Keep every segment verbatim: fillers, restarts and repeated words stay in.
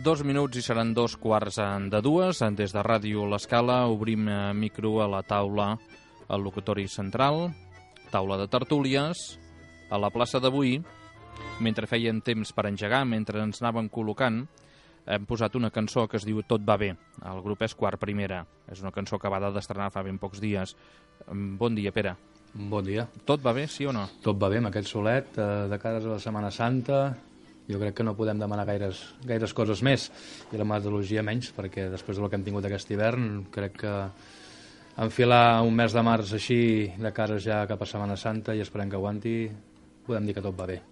Dos minuts i seran dos quarts de dues. Des de Ràdio L'Escala obrim micro a la taula, al locutori central, taula de tertúlies, a la plaça d'avui. Mentre feien temps per engegar, mentre ens anaven col·locant, hem posat una cançó que es diu Tot va bé. El grup és Quart Primera. És una cançó acabada d'estrenar fa ben pocs dies. Bon dia, Pere. Bon dia. Tot va bé, sí o no? Tot va bé amb aquest solet, eh, de cares a la Setmana Santa. Jo crec que no podem demanar gaires, gaires coses més, i la meteorologia menys, perquè després del que hem tingut aquest hivern, crec que enfilar un mes de març així de cares ja cap a Setmana Santa, i esperem que aguanti, podem dir que tot va bé.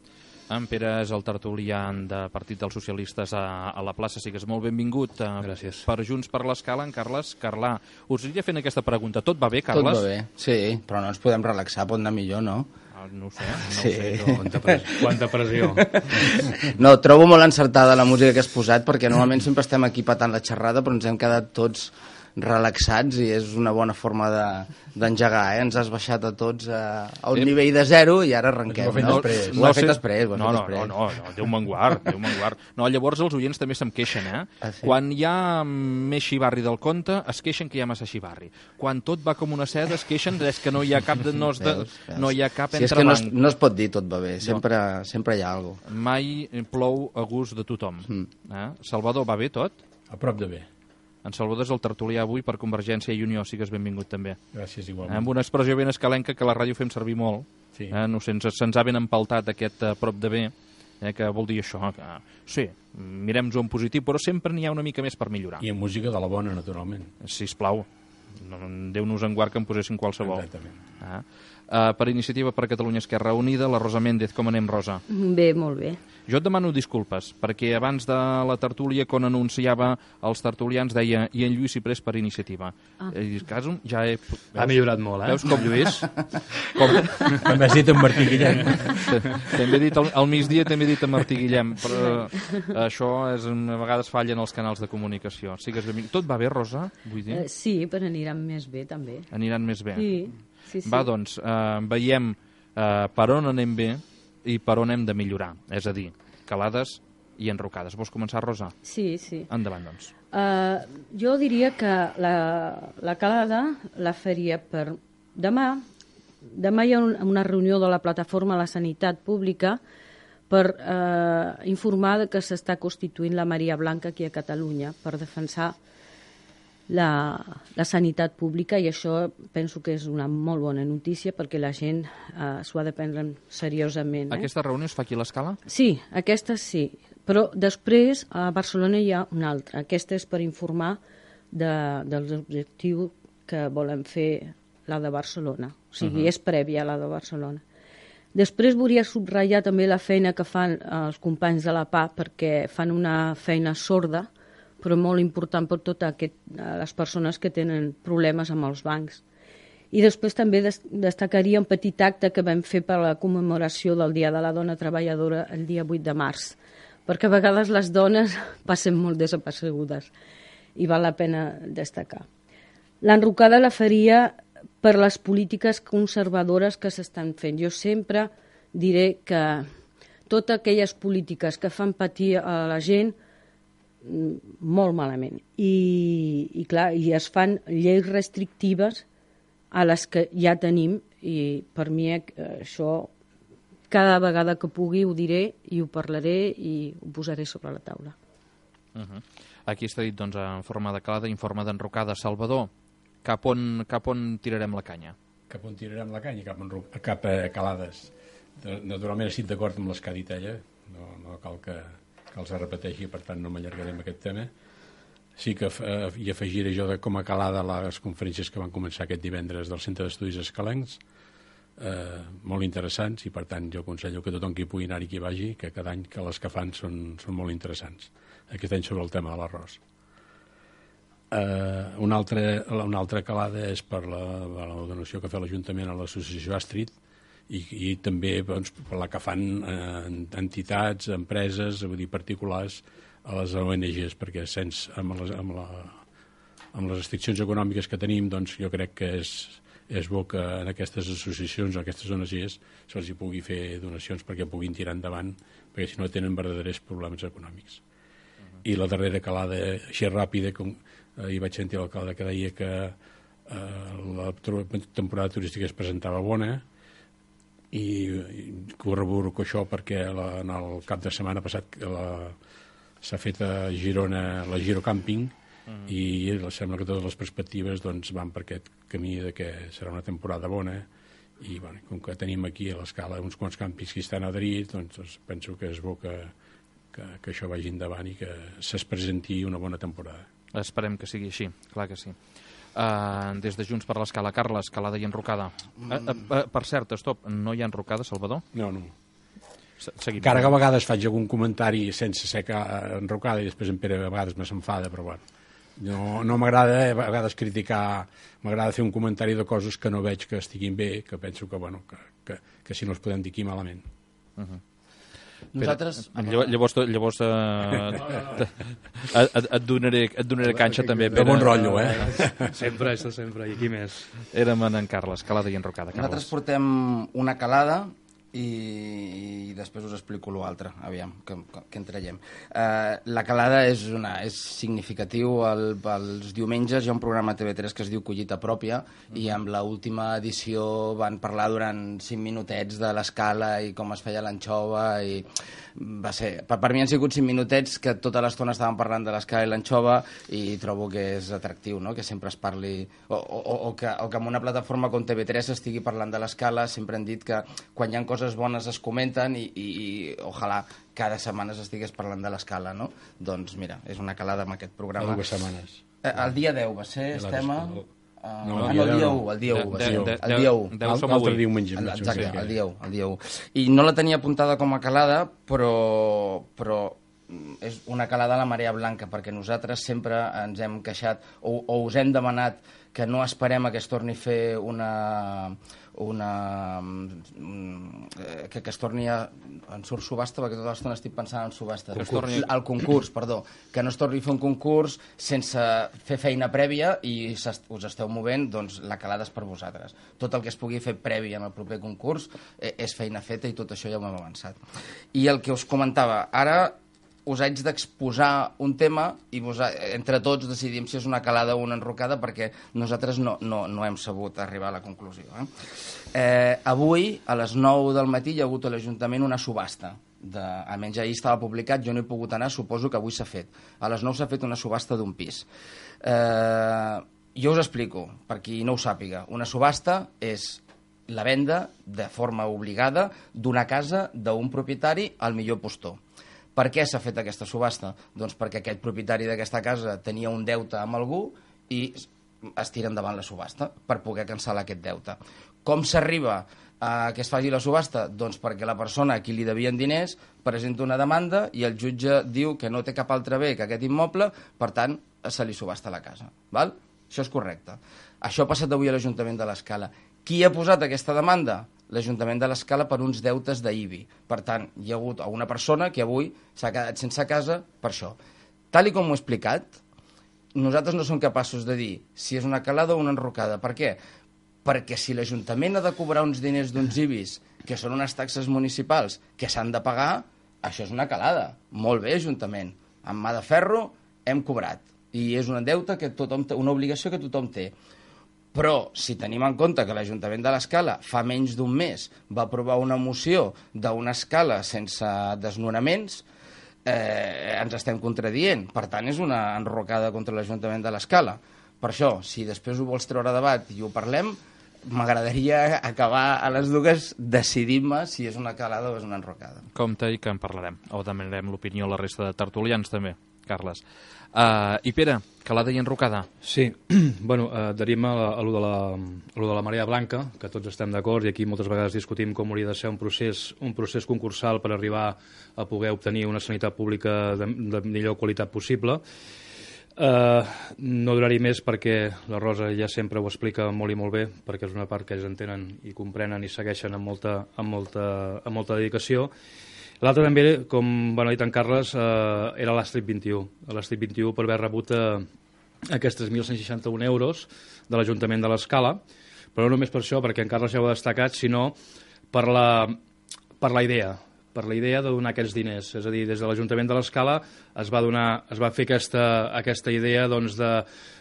En Pere és el tertulià de Partit dels Socialistes a, a la plaça. Sigues molt benvingut. Gràcies. Per Junts per l'Escala, en Carles Carlà. Us aniria fent aquesta pregunta. Tot va bé, Carles? Tot va bé, sí, però no ens podem relaxar, pot anar millor, no? No ho sé, no sí. ho sé. No. Quanta pressió. Quanta pressió. No, trobo molt encertada la música que has posat, perquè normalment sempre estem aquí patant la xerrada, però ens hem quedat tots relaxats i és una bona forma d'engegar, de, eh? Ens has baixat a tots a, a un eh? nivell de zero i ara arrenquem. Ho, no? Ho no he fet sé. després. Ho he no, fet no, després. no, no, no, Déu me'n guard, Déu me'n guard. No, llavors els oients també se'm queixen, eh? Ah, sí? Quan hi ha més xivarri del compte, es queixen que hi ha massa xivarri. Quan tot va com una seda, es queixen és que no hi ha cap de, no, de, veus, veus. no hi ha cap sí, entrebanc. és que no es, no es pot dir tot va bé, sempre, no. sempre hi ha alguna cosa. Mai plou a gust de tothom. Mm. Eh? Salvador, va bé tot? A prop de bé. En Salvador és el tertulià avui per Convergència i Unió, sigues benvingut també. Gràcies, igualment. Amb una expressió ben escalenca que a la ràdio fem servir molt. Sí. Eh? No sé, ens, se'ns ha ben empaltat aquest a prop de bé, eh? Que vol dir això. Que, sí, mirem-ho en positiu, però sempre n'hi ha una mica més per millorar. I en música de la bona, naturalment. Sisplau, no, Déu-nos en guard que en posessin qualsevol. Exactament. Ah. Uh, per Iniciativa per Catalunya Esquerra Unida, la Rosa Méndez. Com anem, Rosa? Bé, molt bé. Jo et demano disculpes, perquè abans de la tertúlia, quan anunciava els tertulians, deia i en Lluís i Pres per Iniciativa. Ah. I cas, ja he... Veus? Ha millorat molt, eh? Veus com Lluís? Com... També has dit en Martí Guillem. També he dit, al, al migdia també he dit en Martí Guillem, però uh, això és, a vegades fallen els canals de comunicació. Sigues benvingut. Tot va bé, Rosa? Vull dir? Uh, sí, però aniran més bé, també. Aniran més bé. Sí, sí, sí. Va, doncs, eh, veiem eh, per on anem bé i per on hem de millorar. És a dir, calades i enrocades. Vols començar, Rosa? Sí, sí. Endavant, doncs. Uh, jo diria que la, la calada la faria per demà. Demà hi ha un, una reunió de la plataforma a la sanitat pública per eh, informar que s'està constituint la Maria Blanca aquí a Catalunya per defensar La, la sanitat pública, i això penso que és una molt bona notícia perquè la gent eh, s'ho ha de prendre seriosament. Eh? Aquesta reunió es fa aquí a l'Escala? Sí, aquesta sí, però després a Barcelona hi ha una altra. Aquesta és per informar de, dels objectius que volem fer la de Barcelona, o sigui, uh -huh. és prèvia a la de Barcelona. Després volia subratllar també la feina que fan els companys de la P A, perquè fan una feina sorda, però molt important per totes les persones que tenen problemes amb els bancs. I després també des destacaria un petit acte que vam fer per la commemoració del Dia de la Dona Treballadora el dia vuit de març, perquè a vegades les dones passen molt desapercebudes i val la pena destacar. L'enrocada la faria per les polítiques conservadores que s'estan fent. Jo sempre diré que totes aquelles polítiques que fan patir a la gent molt malament. I, i clar, i es fan lleis restrictives a les que ja tenim, i per mi això cada vegada que pugui ho diré i ho parlaré i ho posaré sobre la taula. Uh -huh. Aquí està dit, doncs, en forma de calada, en forma d'enrocada. Salvador, cap on, cap on tirarem la canya? Cap on tirarem la canya? Cap, cap a calades. Naturalment estic d'acord amb les que ha dit ella, no, no cal que que els repeteixi, per tant no m'allargaré amb aquest tema. Sí que eh, hi afegiré jo de com a calada les conferències que van començar aquest divendres del Centre d'Estudis Escalencs, eh, molt interessants, i per tant jo aconsello que tothom qui pugui anar-hi qui vagi, que cada any que les que fan són, són molt interessants. Aquest any sobre el tema de l'arròs. Eh, una, altra, una altra calada és per la, la donació que fa l'Ajuntament a l'associació Astrid, I, i també doncs, per la que fan eh, entitats, empreses, vull dir, particulars, a les O N Ges, perquè sense, amb, les, amb, la, amb les restriccions econòmiques que tenim, doncs jo crec que és, és bo que en aquestes associacions o aquestes O N Ges se'ls hi pugui fer donacions perquè puguin tirar endavant, perquè si no tenen verdaders problemes econòmics. Uh-huh. I la darrera calada, així ràpida, com eh, hi vaig sentir l'alcalde que deia que eh, la temporada turística es presentava bona, i, i corroboro això perquè la, en el cap de setmana passat s'ha fet a Girona la Giro Camping, mm. i sembla que totes les perspectives doncs, van per aquest camí de que serà una temporada bona, i bueno, com que tenim aquí a l'Escala uns quants càmpings que estan adherits, doncs, doncs penso que és bo que, que, que això vagi endavant i que se'ls presenti una bona temporada. Esperem que sigui així, clar que sí. Uh, des de Junts per l'Escala, Carles, calada i enrocada. Uh, uh, uh, per cert, stop, no hi ha enrocada, Salvador? No, no. Seguim. Encara que a vegades faig algun comentari sense ser enrocada i després en Pere a vegades me s'enfada, però bueno, no, no m'agrada a vegades criticar, m'agrada fer un comentari de coses que no veig que estiguin bé, que penso que, bueno, que, que, que si no els podem dir aquí malament. Uh-huh. Nosaltres... Però, llavors llavors eh, et, et, donaré, et donaré canxa també. De bon rotllo, eh? Sempre, això sempre, i aquí més. Érem en Carles, calada i enrocada. Carles. Nosaltres portem una calada i, i després us explico l'altre, aviam, que, que en traiem. Uh, la calada és, una, és significatiu. El, els diumenges hi ha un programa a T V tres que es diu Collita Pròpia, mm. i amb l'última edició van parlar durant cinc minutets de l'escala i com es feia l'anxova, i va ser, per, per mi han sigut cinc minutets que tota l'estona estaven parlant de l'escala i l'anxova, i trobo que és atractiu, no?, que sempre es parli, o, o, o, que, o que en una plataforma com T V tres estigui parlant de l'escala. Sempre han dit que quan hi ha coses bones es comenten, i, i, i ojalà cada setmana s'estigués parlant de l'escala, no? Doncs mira, és una calada amb aquest programa. Dues setmanes. Eh, el dia deu va ser, estem a... Uh, no, ah, no, el dia u, el dia u, de, de, el dia u. L'altre diumenge. Exacte, el dia u, el dia u. I no la tenia apuntada com a calada, però, però és una calada a la marea blanca, perquè nosaltres sempre ens hem queixat, o, o us hem demanat que no esperem a que es torni a fer una... una que, que es torni a... en surt subhasta, perquè tota l'estona estic pensant en subhasta. Torni... El concurs, perdó. Que no es torni a fer un concurs sense fer feina prèvia i us esteu movent, doncs la calada és per vosaltres. Tot el que es pugui fer previ en el proper concurs eh, és feina feta, i tot això ja ho hem avançat. I el que us comentava, ara us haig d'exposar un tema i vos, entre tots decidim si és una calada o una enrocada, perquè nosaltres no, no, no hem sabut arribar a la conclusió. Eh? Eh, avui, a les nou del matí, hi ha hagut a l'Ajuntament una subhasta. De, almenys ahir estava publicat, jo no he pogut anar, suposo que avui s'ha fet. A les nou s'ha fet una subhasta d'un pis. Eh, jo us explico, per qui no ho sàpiga. Una subhasta és la venda de forma obligada d'una casa d'un propietari al millor postor. Per què s'ha fet aquesta subhasta? Doncs perquè aquest propietari d'aquesta casa tenia un deute amb algú i es tira endavant la subhasta per poder cancel·lar aquest deute. Com s'arriba a que es faci la subhasta? Doncs perquè la persona a qui li devien diners presenta una demanda i el jutge diu que no té cap altre bé que aquest immoble, per tant, se li subhasta la casa. Val? Això és correcte. Això ha passat avui a l'Ajuntament de l'Escala. Qui ha posat aquesta demanda? L'Ajuntament de l'Escala, per uns deutes d'I B I. Per tant, hi ha hagut una persona que avui s'ha quedat sense casa per això. Tal i com ho he explicat, nosaltres no som capaços de dir si és una calada o una enrocada. Per què? Perquè si l'Ajuntament ha de cobrar uns diners d'uns I B Is, que són unes taxes municipals que s'han de pagar, això és una calada. Molt bé, Ajuntament. Amb mà de ferro hem cobrat. I és un deute que tothom té, una obligació que tothom té. Però, si tenim en compte que l'Ajuntament de l'Escala fa menys d'un mes va aprovar una moció d'una escala sense desnonaments, eh, ens estem contradient. Per tant, és una enrocada contra l'Ajuntament de l'Escala. Per això, si després ho vols treure a debat i ho parlem, m'agradaria acabar a les dues decidint-me si és una calada o és una enrocada. Compte i que en parlarem. O demanarem l'opinió a la resta de tertulians també, Carles. Uh, I Pere, calada i enrocada? Sí, bueno, uh, adherim a, a, lo de la, a lo de la marea blanca, que tots estem d'acord, i aquí moltes vegades discutim com hauria de ser un procés, un procés concursal per arribar a poder obtenir una sanitat pública de, de millor qualitat possible. Uh, no duraré més perquè la Rosa ja sempre ho explica molt i molt bé, perquè és una part que ells entenen i comprenen i segueixen amb molta, amb molta, amb molta dedicació. L'altre també, com bueno, ha dit en Carles, eh, era l'Astrid vint-i-u. L'Astrid vint-i-u per haver rebut eh, aquests tres mil cent seixanta-un euros de l'Ajuntament de l'Escala, però no només per això, perquè en Carles ja ho ha destacat, sinó per la, per la idea, per la idea de donar aquests diners. És a dir, des de l'Ajuntament de l'Escala es va donar, es va fer aquesta, aquesta idea doncs, de,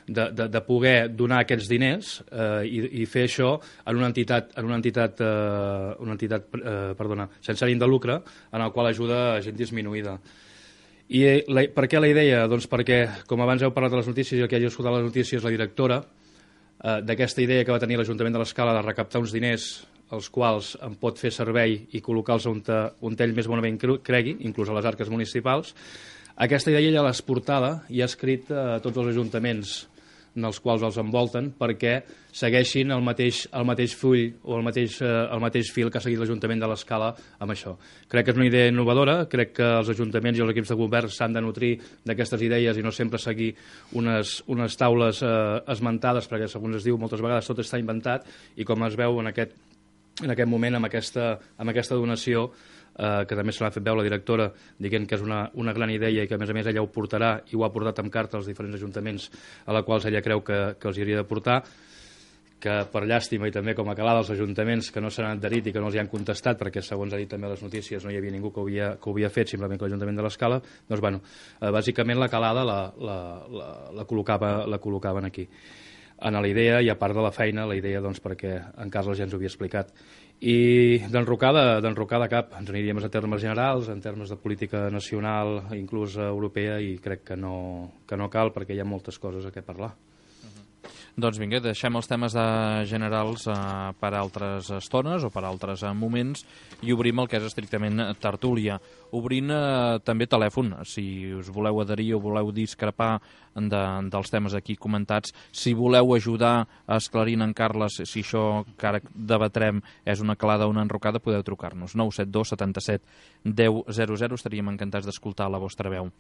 de, de, de poder donar aquests diners eh, i, i fer això en una entitat, en una entitat, eh, una entitat eh, perdona, sense ànim de lucre, en el qual ajuda a gent disminuïda. I la, per què la idea? Doncs perquè, com abans heu parlat de les notícies i el que hagi escoltat les notícies, la directora eh, d'aquesta idea que va tenir l'Ajuntament de l'Escala de recaptar uns diners els quals en pot fer servei i col·locar-los on, on ell més bonament cregui, inclús a les arques municipals. Aquesta idea ella l'ha exportada i ha escrit a tots els ajuntaments en els quals els envolten perquè segueixin el mateix, el mateix full o el mateix, eh, el mateix fil que ha seguit l'Ajuntament de l'Escala amb això. Crec que és una idea innovadora, crec que els ajuntaments i els equips de govern s'han de nutrir d'aquestes idees i no sempre seguir unes, unes taules eh, esmentades, perquè segons es diu moltes vegades tot està inventat i com es veu en aquest en aquest moment amb aquesta, amb aquesta donació eh, que també se l'ha fet veure la directora dient que és una, una gran idea i que a més a més ella ho portarà i ho ha portat amb carta als diferents ajuntaments a la quals ella creu que, que els hauria de portar, que per llàstima i també com a calada als ajuntaments que no s'han adherit i que no els hi han contestat perquè segons ha dit també a les notícies no hi havia ningú que ho havia, que ho havia fet, simplement que l'Ajuntament de l'Escala, doncs bueno, eh, bàsicament la calada la, la, la, la, col·locava, la col·locaven aquí en la idea i a part de la feina, la idea doncs perquè en Carles ja ens ho havia explicat. I d'enrocar de, d'enrocar de cap, ens aniríem a termes generals, en termes de política nacional, inclús europea, i crec que no, que no cal perquè hi ha moltes coses a què parlar. Doncs vinga, deixem els temes de generals eh, per altres estones o per altres eh, moments i obrim el que és estrictament tertúlia. Obrint eh, també telèfon, si us voleu adherir o voleu discrepar de, dels temes aquí comentats, si voleu ajudar a esclarir en Carles si això que ara debatrem és una calada o una enrocada, podeu trucar-nos. nou set dos setanta-set deu zero zero, estaríem encantats d'escoltar la vostra veu.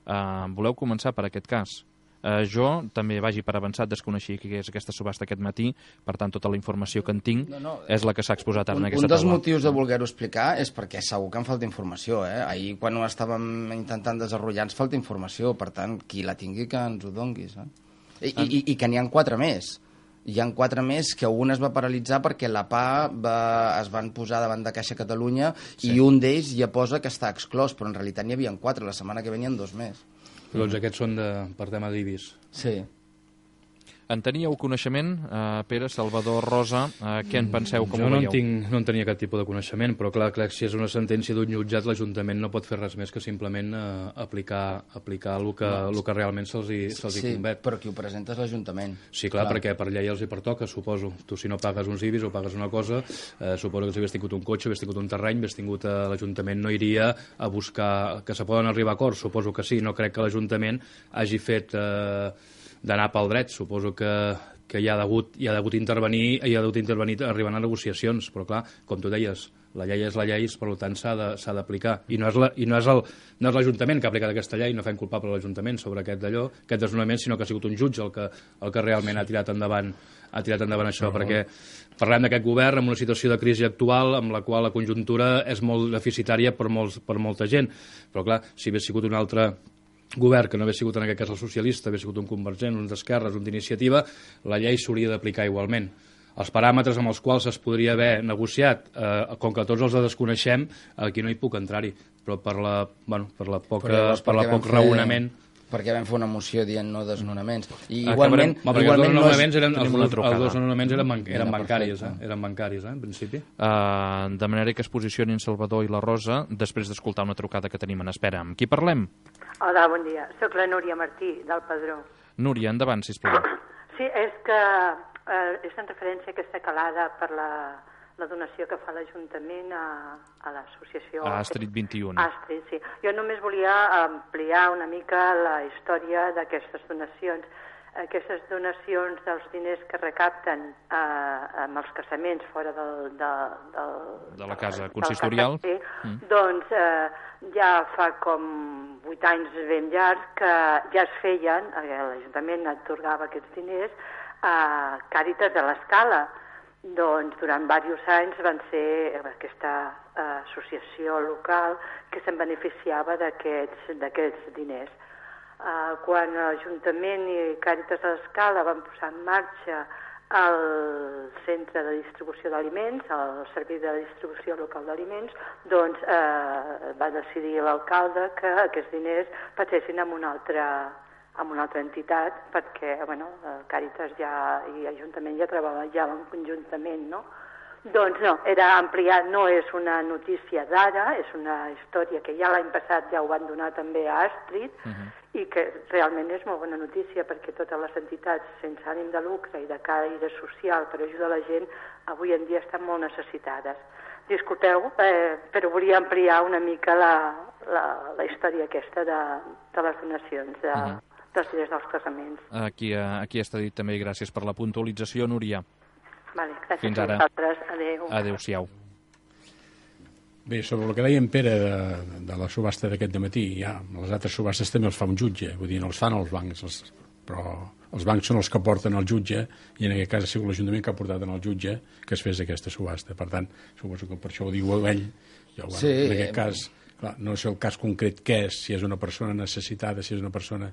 Eh, voleu començar per aquest cas? Uh, jo també vagi per avançat, desconeixia què és aquesta subhasta aquest matí, per tant tota la informació que en tinc no, no, és la que s'ha exposat ara un, en aquesta taula. Un dels taula. motius de voler-ho explicar és perquè segur que em falta informació. Eh? Ahir quan ho estàvem intentant desenvolupar ens falta informació, per tant qui la tingui que ens ho donguis. Eh? I, i, i, I que n'hi ha quatre més. Hi ha quatre més que un es va paralitzar perquè la P A va, es van posar davant de Caixa Catalunya sí. I un d'ells ja posa que està exclòs, però en realitat n'hi havia quatre, la setmana que venien dos més. Doncs aquests són de, per tema d'I B I S. Sí. En teníeu coneixement, eh, Pere, Salvador, Rosa, eh, què en penseu, com jo ho no veieu? En tinc, no en tenia cap tipus de coneixement, però clar, clar si és una sentència d'un jutjat, l'Ajuntament no pot fer res més que simplement eh, aplicar, aplicar el que, no. el que realment se'ls hi, se'ls sí, hi convet. Però qui ho presenta és l'Ajuntament. Sí, clar, clar, perquè per llei els hi pertoca, suposo. Tu si no pagues uns I B I S o pagues una cosa, eh, suposo que si havies tingut un cotxe, havies tingut un terreny, havies tingut eh, l'Ajuntament no iria a buscar que se poden arribar a acords, suposo que sí. No crec que l'Ajuntament hagi fet eh, d'anar pel dret, suposo que que hi ha hagut, hi ha hagut intervenir hi ha hagut intervenir arribant a negociacions, però clar, com tu deies, la llei és la llei, per tant s'ha d'aplicar. I no és la, i no és el, no és l'Ajuntament que ha aplicat aquesta llei, no fem culpable l'Ajuntament sobre aquest d'allò, aquest desnonament, sinó que ha sigut un jutge el que, el que realment ha tirat endavant ha tirat endavant això, uh -huh. perquè parlem d'aquest govern amb una situació de crisi actual amb la qual la conjuntura és molt deficitària per, molts, per molta gent, però clar, si hagués sigut un altre govern, que no hagués sigut en aquest cas el socialista, hagués sigut un convergent, un d'esquerres, un d'iniciativa, la llei s'hauria d'aplicar igualment. Els paràmetres amb els quals es podria haver negociat, eh, com que tots els desconeixem, aquí no hi puc entrar-hi, però per la, bueno, per la poca, llavors, per la poc fer, raonament... Perquè vam fer una moció dient no desnonaments. I igualment, Acabarem, igualment no els és... eren, els, els trucada. dos desnonaments eren, ban eren bancaris, eh? eren bancaris, eh, en principi. Uh, demanaré que es posicionin Salvador i la Rosa després d'escoltar una trucada que tenim en espera. Amb qui parlem? Hola, bon dia. Soc la Núria Martí, del Padró. Núria, endavant, sisplau. Sí, és que eh, és en referència a aquesta calada per la, la donació que fa l'Ajuntament a, a l'associació... A Astrid vint-i-u. Astrid, sí. Jo només volia ampliar una mica la història d'aquestes donacions. Aquestes donacions dels diners que recapten eh, amb els casaments fora del... De, del de la casa consistorial. Sí, mm. Doncs eh, ja fa com vuit anys ben llargs que ja es feien, l'Ajuntament atorgava aquests diners a Càritas de l'Escala. doncs durant diversos anys van ser aquesta uh, associació local que se'n beneficiava d'aquests d'aquests diners. Uh, quan l'Ajuntament i Càritas de l'Escala van posar en marxa el centre de distribució d'aliments, el servei de distribució local d'aliments, doncs eh, va decidir l'alcalde que aquests diners passessin a una altra, a una altra entitat, perquè bueno, Càritas ja, i Ajuntament ja treballaven conjuntament, no? Doncs no, era ampliar, no és una notícia d'ara, és una història que ja l'any passat ja ho van donar també a Astrid, uh-huh. i que realment és molt bona notícia perquè totes les entitats sense ànim de lucre i de caire social per ajudar la gent avui en dia estan molt necessitades. Disculpeu, eh, però volia ampliar una mica la, la, la història aquesta de, de les donacions, de, uh-huh. dels diners dels casaments. Aquí, aquí està dit també, gràcies per la puntualització, Núria. Vale, gràcies Fins a ara. vosaltres. Adéu. Adéu-siau. Bé, sobre el que deia en Pere de, de la subhasta d'aquest dematí, ja, les altres subhastes també els fa un jutge, vull dir, no els fan els bancs, els, però els bancs són els que porten el jutge, i en aquest cas ha sigut l'Ajuntament que ha portat en el jutge que es fes aquesta subhasta. Per tant, suposo que per això ho diu ell. Jo, bueno, sí. En aquest cas, clar, no sé el cas concret què és, si és una persona necessitada, si és una persona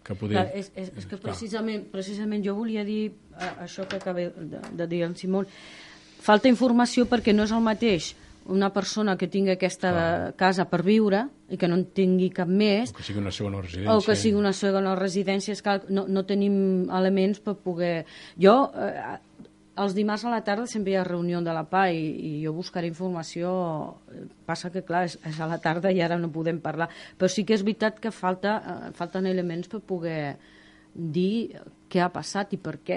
que poder... Clar, és, és, és que precisament, precisament jo volia dir eh, això que acaba de, de dir en Simón. Falta informació perquè no és el mateix una persona que tingui aquesta ah. casa per viure i que no en tingui cap més, o que sigui una segona residència, o que sigui una segona residència, és que no, no tenim elements per poder... Jo, eh, els dimarts a la tarda sempre hi ha reunió de la P A i, i jo buscaré informació, passa que clar, és, és a la tarda i ara no podem parlar, però sí que és veritat que falta, eh, falten elements per poder dir què ha passat i per què.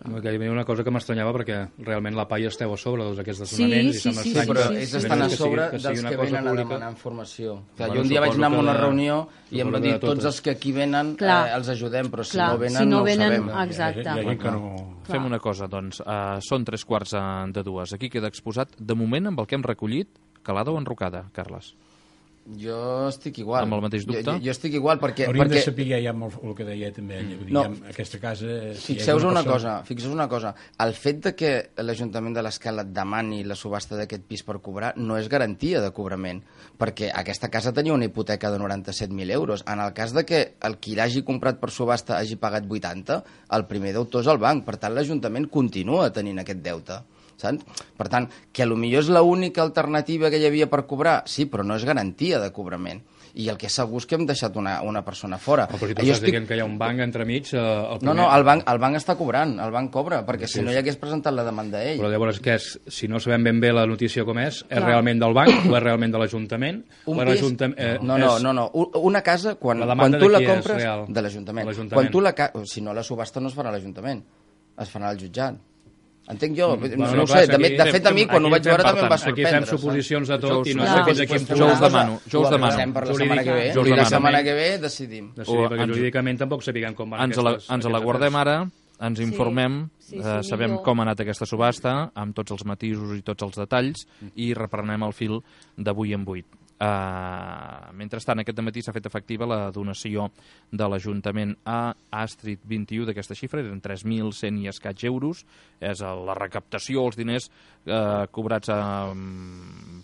No, que hi havia una cosa que m'estranyava perquè realment la P A I esteu a sobre dels aquests desnonaments, sí, i sí, sí, sí, però sí, ells sí, estan sí. a sobre que sigui, que dels sigui que cosa venen pública. a demanar informació. Clar, Bueno, jo un dia vaig anar a una que, reunió i em va dir tots, tots els que aquí venen eh, els ajudem, però si Clar, no venen si no, no venen, ho sabem. exacte. Hi ha, hi ha gent que no... Fem una cosa, doncs. Uh, són tres quarts de dues. Aquí queda exposat, de moment, amb el que hem recollit, calada o enrocada, Carles? Jo estic igual. Amb el mateix dubte? Jo, jo, jo estic igual perquè... Hauríem perquè... de saber ja el, el que deia també ella. Vull dir, No. ja, aquesta casa... Si Fixeu-vos una, una persona... cosa, fixeu una cosa. El fet de que l'Ajuntament de l'Escala demani la subhasta d'aquest pis per cobrar no és garantia de cobrament, perquè aquesta casa tenia una hipoteca de noranta-set mil euros. En el cas de que el qui l'hagi comprat per subhasta hagi pagat vuitanta, el primer deutor és el banc. Per tant, l'Ajuntament continua tenint aquest deute. Saps? Per tant, que potser és l'única alternativa que hi havia per cobrar, sí, però no és garantia de cobrament. I el que és segur és que hem deixat una, una persona fora. Oh, però si tu jo estàs estic... dient que hi ha un banc entremig... Eh, el primer... No, no, el banc, el banc està cobrant, el banc cobra, perquè sí, si no hi hagués presentat la demanda ell. Però llavors, què és? Si no sabem ben bé la notícia com és, és Clar. realment del banc o és realment de l'Ajuntament? Un o pis... eh, no, no, és... no, no, una casa, quan, La quan demanda tu de la qui és compres... real? De l'Ajuntament. De l'Ajuntament. Quan tu la... ca- Si no, la subhasta no es farà a l'Ajuntament, es farà al jutjat. Entenc jo, Mm, no, bueno, no ho clar, sé, de, aquí de fet a mi fem- quan ho aquí vaig fem, veure per també em va tant, sorprendre. aquí fem suposicions de tot Jo us- i no Clar. sé fins a quin Pues, punt... Jo us una cosa, demano, jo us ho demano. avisem per la Jurídica- setmana que ve, jo us i la demano. setmana que ve decidim. Sí, O perquè ens- jurídicament tampoc sapiguem com van Ens la, aquestes... ens la aquestes guardem afers. ara, ens informem, Sí, sí, eh, sabem millor. com ha anat aquesta subhasta, amb tots els matisos i tots els detalls, i reprenem el fil d'avui en vuit. Uh, mentrestant, aquest dematí s'ha fet efectiva la donació de l'Ajuntament a Astrid vint i u d'aquesta xifra, eren tres mil cent i escaig euros, és la recaptació, els diners eh, cobrats a,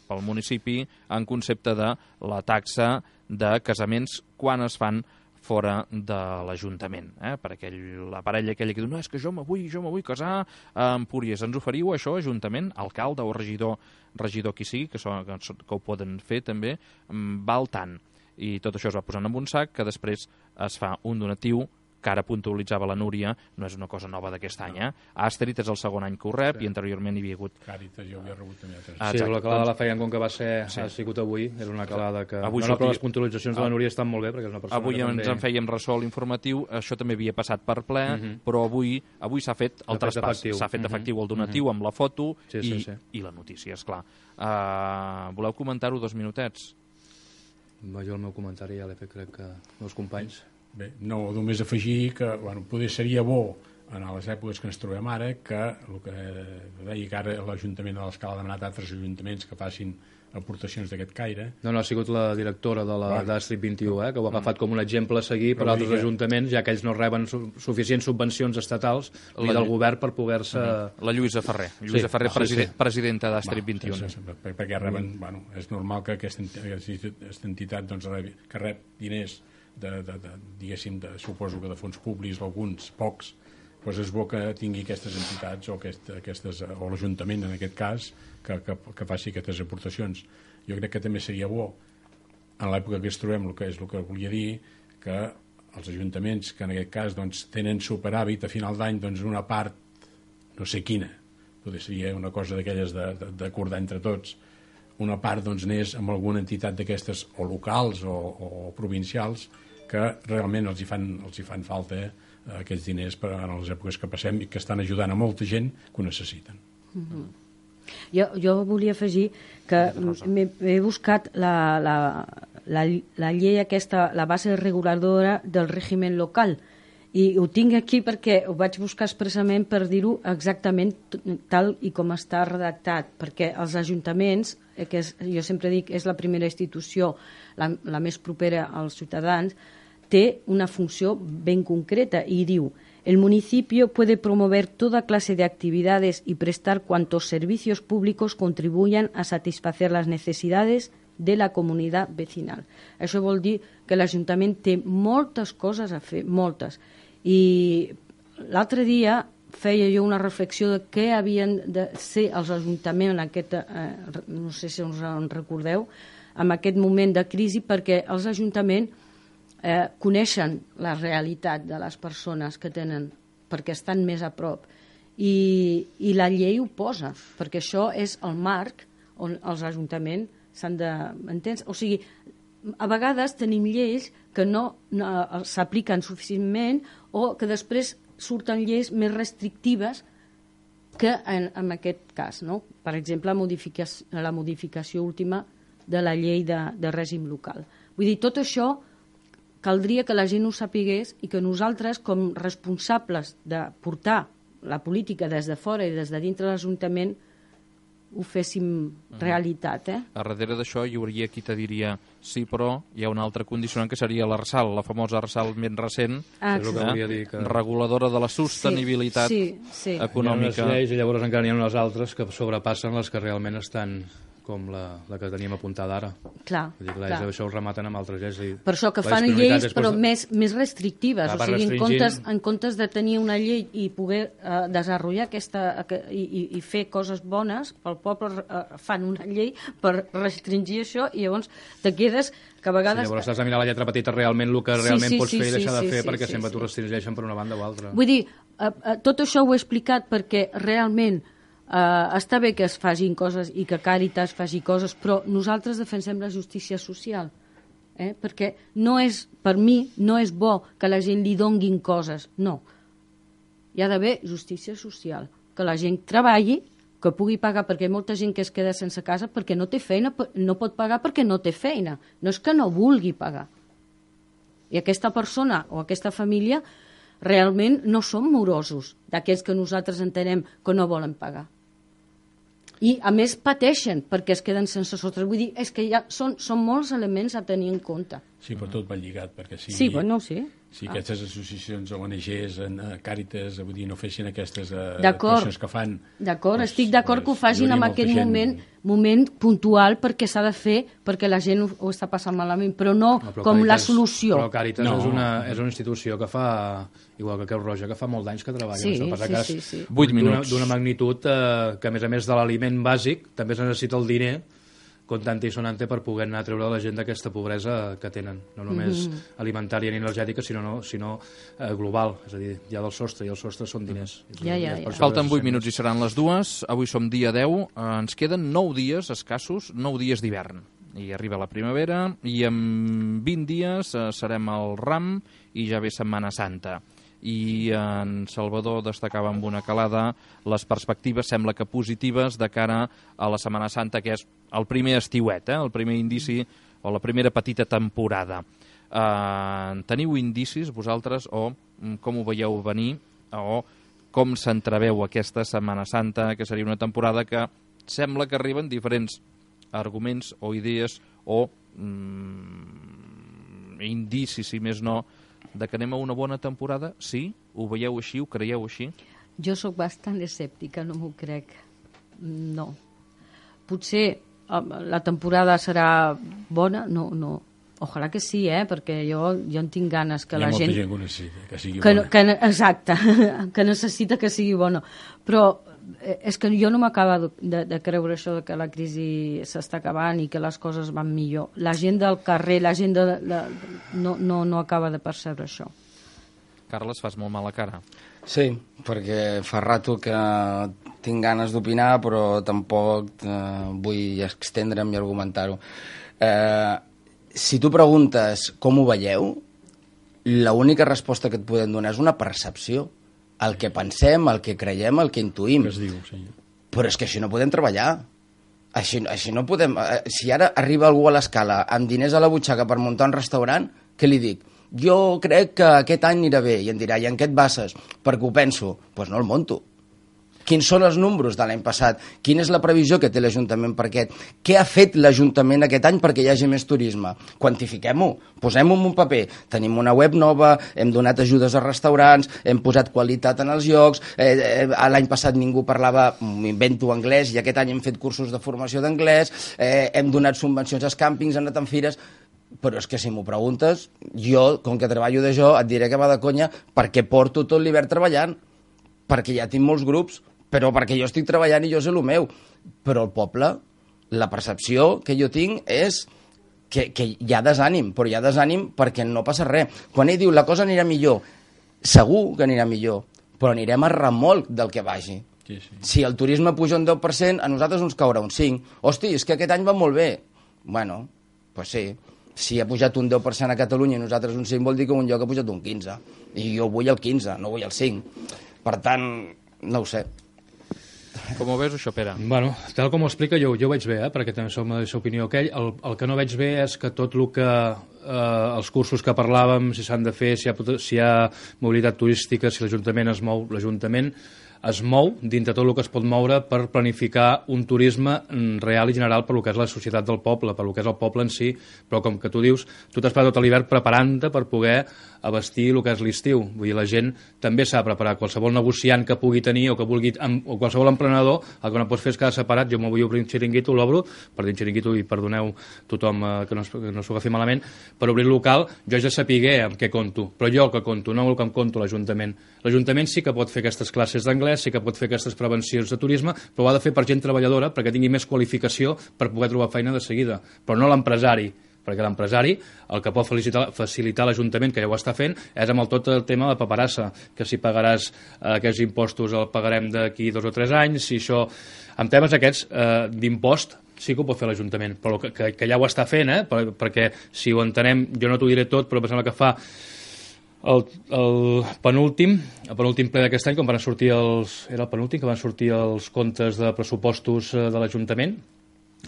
pel municipi en concepte de la taxa de casaments quan es fan fora de l'Ajuntament, eh? Per aquell, la parella aquella que diu, no, és que jo me vull, jo me vull casar a Empúries. Ens oferiu això, Ajuntament, alcalde o regidor, regidor qui sigui, que, so, que, que ho poden fer també, val tant. I tot això es va posant en un sac que després es fa un donatiu que ara puntualitzava la Núria, no és una cosa nova d'aquest any, eh? Astrid és el segon any que ho rep, sí. I anteriorment hi havia hagut... Càritas, jo havia rebut també altres. Ah, Sí, exacte. la calada la feien com que va ser, Sí. ha sigut avui, és una calada que... Avui no, no, però sortia- les puntualitzacions de la Núria estan molt bé, perquè és una persona Avui que ens també... en fèiem ressò a l'informatiu, això també havia passat per ple, uh Mhm. -huh. però avui avui s'ha fet el S'ha fet traspàs, efectiu. s'ha fet Mhm. efectiu el donatiu uh -huh. amb la foto Sí, i, sí, sí. i la notícia, esclar. Uh, voleu comentar-ho dos minutets? Va, jo el meu comentari ja l'he fet, crec que meus companys. Bé, no, només afegir que bueno, poder seria bo en les èpoques que ens trobem ara que el que deia que ara l'Ajuntament de l'Escala ha demanat a altres ajuntaments que facin aportacions d'aquest caire. No, no, ha sigut la directora de la d'Astrit vint-i-u, eh, que ho ha agafat com un exemple a seguir per altres ajuntaments, ja que ells no reben su suficients subvencions estatals ni del govern per poder-se... La Lluïsa Ferrer, Lluïsa Ferrer, presidenta d'Astrit vint-i-u. Perquè reben, bueno, és normal que aquesta entitat que rep diners de, de, de, diguéssim, de, suposo que de fons públics, alguns, pocs, doncs és bo que tingui aquestes entitats o, aquest, aquestes, o l'Ajuntament, en aquest cas, que, que, que faci aquestes aportacions. Jo crec que també seria bo, en l'època que ens trobem, el que és el que volia dir, que els ajuntaments, que en aquest cas doncs, tenen superàvit a final d'any, doncs una part, no sé quina, potser seria una cosa d'aquelles d'acordar entre tots, una part doncs, n'és amb alguna entitat d'aquestes, o locals o, o provincials, que realment els hi fan, els hi fan falta eh, aquests diners per a les èpoques que passem i que estan ajudant a molta gent que ho necessiten. Mm-hmm. jo, jo volia afegir que he buscat la, la, la, la llei aquesta, la base reguladora del règim local, i ho tinc aquí perquè ho vaig buscar expressament per dir-ho exactament tal i com està redactat, perquè els ajuntaments, que és, jo sempre dic és la primera institució, la, la més propera als ciutadans, té una funció ben concreta i diu: el municipio puede promover toda clase de actividades y prestar cuantos servicios públicos contribuyan a satisfacer las necesidades de la comunitat vecinal. Això vol dir que l'Ajuntament té moltes coses a fer, moltes. I l'altre dia feia jo una reflexió de què havien de ser els ajuntaments en aquest, eh, no sé si us en recordeu, en aquest moment de crisi, perquè els ajuntaments eh, coneixen la realitat de les persones que tenen, perquè estan més a prop. I, i la llei ho posa, perquè això és el marc on els ajuntaments s'han de... Entens? O sigui, a vegades tenim lleis que no, no s'apliquen suficientment o que després surten lleis més restrictives que en, en aquest cas, no? Per exemple, la modificació, la modificació última de la llei de, de règim local. Vull dir, tot això caldria que la gent ho sapigués i que nosaltres, com responsables de portar la política des de fora i des de dintre de l'Ajuntament, ho féssim realitat. Eh? A darrere d'això hi hauria qui te diria sí, però hi ha una altra condicionant que seria l'Arsal, la famosa Arsal més recent, ah, que és el que volia dir, que... reguladora de la sostenibilitat sí, sí, sí. econòmica. Hi ha unes lleis i llavors encara n'hi ha unes altres que sobrepassen les que realment estan com la, la que teníem apuntada ara. Clar, Vull dir, clar, clar. Això ho rematen amb altres lleis. I per això que fan lleis, però més, més restrictives. Clar, o sigui, en restringint... comptes, en comptes de tenir una llei i poder eh, desenvolupar aquesta i, i, i fer coses bones pel poble, eh, fan una llei per restringir això i llavors te quedes que a vegades... Sí, llavors has de mirar la lletra petita realment el que realment sí, sí, pots sí, fer i deixar sí, de fer sí, perquè sí, sempre sí, t'ho sí. restringeixen per una banda o altra. Vull dir, eh, eh, tot això ho he explicat perquè realment Uh, està bé que es facin coses i que Càritas faci coses, però nosaltres defensem la justícia social, eh? Perquè no és, per mi no és bo que la gent li donguin coses, no. Hi ha d'haver justícia social, que la gent treballi, que pugui pagar, perquè hi ha molta gent que es queda sense casa perquè no té feina, no pot pagar perquè no té feina, no és que no vulgui pagar. I aquesta persona o aquesta família realment no són morosos, d'aquells que nosaltres entenem que no volen pagar. I, a més, pateixen perquè es queden sense sostre. Vull dir, és que ja són, són molts elements a tenir en compte. Sí, però tot va lligat, perquè si, sí, bueno, sí. si ah. aquestes associacions o O N Ges, en, uh, Càritas, vull dir, no fessin aquestes uh, coses que fan... D'acord, pues, estic d'acord pues, que ho facin en aquest gent... moment, moment puntual perquè s'ha de fer, perquè la gent ho, ho està passant malament, però no, no però com Càritas, la solució. Però Càritas no. és, una, és una institució que fa, igual que Creu Roja, que fa molts d'anys que treballa. Sí, això. sí, sí, sí. vuit minuts. D'una magnitud eh, que, a més a més de l'aliment bàsic, també es necessita el diner comptante i sonante per poder anar a treure la gent d'aquesta pobresa que tenen, no només mm -hmm. alimentària ni energètica, sinó, no, sinó eh, global, és a dir, hi ha del sostre i el sostre són diners. Ja, ja, ja. Falten vuit minuts i seran les dues, avui som dia deu, eh, ens queden nou dies escassos, nou dies d'hivern, i arriba la primavera, i en vint dies eh, serem al Ram i ja ve Setmana Santa. I en Salvador destacava amb una calada les perspectives, sembla que positives, de cara a la Setmana Santa, que és el primer estiuet, eh? El primer indici o la primera petita temporada. Uh, teniu indicis vosaltres o com ho veieu venir o com s'entreveu aquesta Setmana Santa, que seria una temporada que sembla que arriben diferents arguments o idees o mm, indicis, si més no, de que anem a una bona temporada? Sí? Ho veieu així? Ho creieu així? Jo sóc bastant escèptica, no m'ho crec. No. Potser la temporada serà bona? No, no. Ojalà que sí, eh? Perquè jo, jo en tinc ganes que la gent... Hi ha molta gent que necessita que sigui que, bona. Que, exacte, que necessita que sigui bona. Però és que jo no m'acaba de, de creure això de que la crisi s'està acabant i que les coses van millor. La gent del carrer, la gent de... de no, no, no acaba de percebre això. Carles, fas molt mala cara. Sí, perquè fa rato que tinc ganes d'opinar, però tampoc eh, vull extendre'm i argumentar-ho. Eh, si tu preguntes com ho veieu, l'única resposta que et podem donar és una percepció. El que pensem, el que creiem, el que intuïm. Que es diu, sí. Però és que així no podem treballar. Així, així no podem... Si ara arriba algú a l'escala amb diners a la butxaca per muntar un restaurant, què li dic? Jo crec que aquest any anirà bé. I em dirà, i en què et bases? Perquè ho penso. Doncs pues no el monto. Quins són els números de l'any passat? Quina és la previsió que té l'Ajuntament per aquest? Què ha fet l'Ajuntament aquest any perquè hi hagi més turisme? Quantifiquem-ho, posem-ho en un paper. Tenim una web nova, hem donat ajudes a restaurants, hem posat qualitat en els llocs, eh, eh, l'any passat ningú parlava, m'invento anglès, i aquest any hem fet cursos de formació d'anglès, eh, hem donat subvencions als càmpings, hem anat en fires... Però és que si m'ho preguntes, jo, com que treballo d'això, et diré que va de conya perquè porto tot l'hivern treballant, perquè ja tinc molts grups, però perquè jo estic treballant i jo sé el meu. Però el poble, la percepció que jo tinc és que, que hi ha desànim, però hi ha desànim perquè no passa res. Quan ell diu la cosa anirà millor, segur que anirà millor, però anirem a remolc del que vagi. Sí, sí. Si el turisme puja un deu per cent, a nosaltres ens caurà un cinc per cent. Hosti, és que aquest any va molt bé. Bueno, doncs pues sí. Si ha pujat un deu per cent a Catalunya i nosaltres un cinc, vol dir que un lloc ha pujat un quinze. I jo vull el quinze, no vull el cinc. Per tant, no ho sé. Com ho veus, això, Pere? Bueno, tal com ho explica, jo, jo ho veig bé, eh, perquè també som de la opinió aquell. El, el que no veig bé és que tot el que... Eh, els cursos que parlàvem, si s'han de fer, si hi ha, si hi ha mobilitat turística, si l'Ajuntament es mou, l'Ajuntament es mou dintre tot el que es pot moure per planificar un turisme real i general per lo que és la societat del poble, per lo que és el poble en si, però com que tu dius, tu t'has passat tot l'hivern preparant-te per poder abastir el que és l'estiu. Vull dir, la gent també s'ha de preparar. Qualsevol negociant que pugui tenir o que vulgui, o qualsevol emprenedor, el que no pots fer és quedar separat. Jo m'ho vull obrir un xiringuito, l'obro, per dir xiringuito, i perdoneu tothom eh, que no, que no s'ho agafi malament, per obrir el local, jo ja sapigué amb què conto, però jo el que conto, no el que em conto l'Ajuntament. L'Ajuntament sí que pot fer aquestes classes d'anglès, sí que pot fer aquestes prevencions de turisme, però ho ha de fer per gent treballadora, perquè tingui més qualificació per poder trobar feina de seguida, però no l'empresari, perquè l'empresari el que pot facilitar, facilitar l'Ajuntament, que ja ho està fent, és amb el tot el tema de paperassa, que si pagaràs eh, aquests impostos el pagarem d'aquí dos o tres anys, si això... Amb temes aquests eh, d'impost sí que ho pot fer l'Ajuntament, però que, que, que ja ho està fent, eh? Per, perquè si ho entenem, jo no t'ho diré tot, però em sembla que fa el, el penúltim, el penúltim ple d'aquest any, quan van sortir els... Era el penúltim, que van sortir els comptes de pressupostos de l'Ajuntament,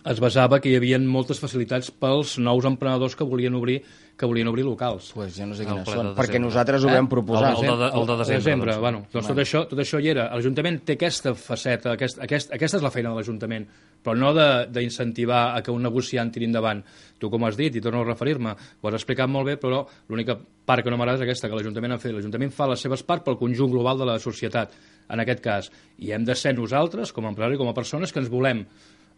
es basava que hi havia moltes facilitats pels nous emprenedors que volien obrir que volien obrir locals. Pues ja no sé quines de són, desembre. perquè nosaltres ho Eh? vam proposar. El de, el de desembre. desembre doncs. bueno, doncs tot això, tot això hi era. L'Ajuntament té aquesta faceta, aquest, aquest, aquesta és la feina de l'Ajuntament, però no d'incentivar a que un negociant tiri endavant. Tu, com has dit, i torno a referir-me, ho has explicat molt bé, però l'única part que no m'agrada és aquesta, que l'Ajuntament ha fet. L'Ajuntament fa les seves parts pel conjunt global de la societat, en aquest cas. I hem de ser nosaltres, com a empresaris, com a persones, que ens volem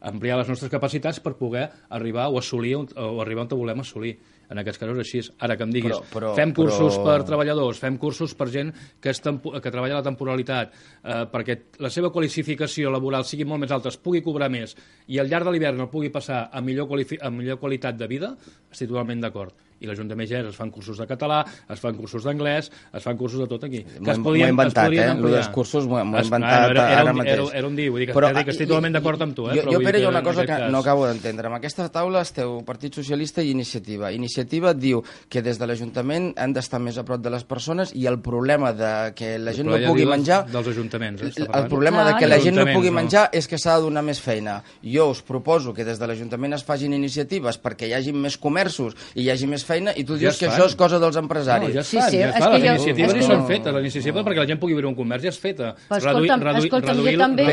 ampliar les nostres capacitats per poder arribar o assolir o arribar on volem assolir. En aquests casos així. Ara que em diguis, però, però, fem cursos però... per treballadors, fem cursos per gent que, és tempo, que treballa a la temporalitat, eh, perquè la seva qualificació laboral sigui molt més alta, es pugui cobrar més, i al llarg de l'hivern el pugui passar a millor, a millor qualitat de vida, estic totalment d'acord. I l'Ajuntament ja és, es fan cursos de català, es fan cursos d'anglès, es fan cursos de tot aquí. M'ho he inventat, eh? El dels cursos m'ho he inventat era, era, ara un, mateix. Era, era un dia, vull dir que, però, que estic totalment d'acord amb tu. Eh? Jo, però jo Pere, hi ha una que, cosa que cas... no acabo d'entendre. En aquesta taula esteu Partit Socialista i Iniciativa. Iniciativa diu que des de l'Ajuntament han d'estar més a prop de les persones i el problema de que la gent no pugui menjar... Dels ajuntaments, eh? El problema de que la gent no pugui menjar és que s'ha de donar més feina. Jo us proposo que des de l'Ajuntament es facin iniciatives perquè hi hagi més comerços i hi hagi més feina i tu dius que això és cosa dels empresaris. No, ja es fan, ja es fan. Les iniciatives ja són fetes, les iniciatives perquè la gent pugui obrir un comerç ja és feta. Escolta'm, escolta'm, jo també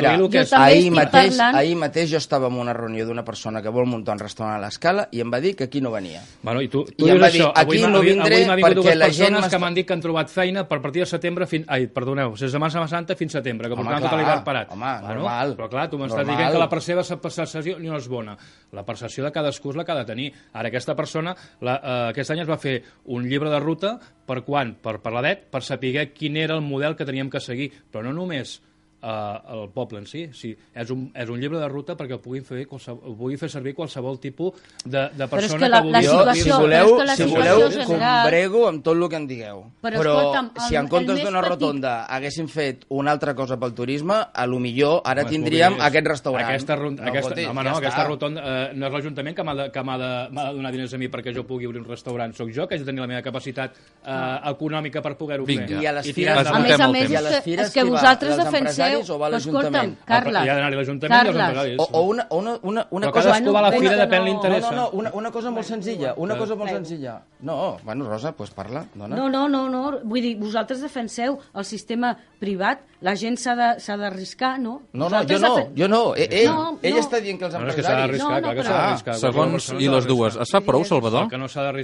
ahir mateix, ahir mateix jo estava en una reunió d'una persona que vol muntar un restaurant a l'Escala i em va dir que aquí no venia. Bueno, i tu, tu I dius això, avui m'ha vingut dues persones que m'han dit que han trobat feina per partir de setembre fins... Ai, perdoneu, des de Setmana Santa fins setembre, que portaven tot l'hivern parat. Home, normal. Però clar, tu m'estàs dient que la seva percepció no és bona. La percepció de cadascú és la que ha de tenir. Ara, aquesta persona, la, eh, aquest any es va fer un llibre de ruta per quan? Per, per l'A D E T, per saber quin era el model que teníem que seguir. Però no només eh, el poble en si, sí, és, un, és un llibre de ruta perquè el pugui fer, ho pugui fer servir qualsevol tipus de, de persona que, la, que vulgui... Jo, situació, si voleu, que si voleu combrego amb tot el que en digueu. Però, però escolta'm, si en comptes d'una rotonda haguéssim fet una altra cosa pel turisme, a lo millor ara home, tindríem és... aquest restaurant. Aquesta, no, aquesta, no, home, no, ja aquesta rotonda eh, no és l'Ajuntament que m'ha de, que m'ha de, de donar diners a mi perquè jo pugui obrir un restaurant. Soc jo que haig de tenir la meva capacitat eh, econòmica per poder-ho fer. I a les fires, a més a més, és que, és que vosaltres defenseu... Escolta'm, Carles, hi ha d'anar-hi l'Ajuntament i els empresaris. O, o una, una, una, una cosa... Cadascú va a la fira, depèn li interessa. No, no, no, una, una cosa molt senzilla, una cosa molt senzilla. No, bueno, Rosa, doncs parla, dona. No, no, no, no, vull dir, vosaltres defenseu el sistema privat, la gent s'ha d'arriscar, no? No, no, jo no, jo no, ell, ell està dient que els empresaris... No, és que s'ha d'arriscar, clar que s'ha d'arriscar. Segons i les dues, es fa prou, Salvador?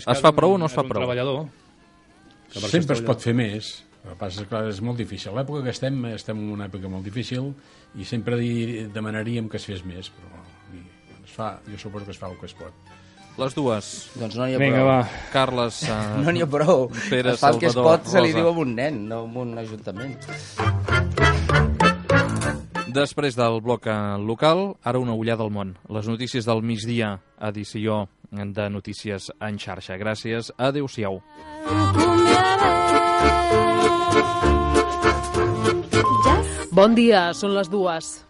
Es fa prou o no es fa prou? Sempre es pot fer més. El que passa és que és molt difícil. L'època que estem, estem en una època molt difícil i sempre demanaríem que es fes més, però es fa, jo suposo que es fa el que es pot. Les dues. Doncs no n'hi ha Vinga, prou. va. Carles, uh, no n'hi ha prou. Pere, es fa el que es Salvador, pot, se li Rosa. diu a un nen, no a un ajuntament. Després del bloc local, ara una ullada al món. Les notícies del migdia, edició de Notícies en xarxa. Gràcies, adéu-siau. Bon dia, són les dues.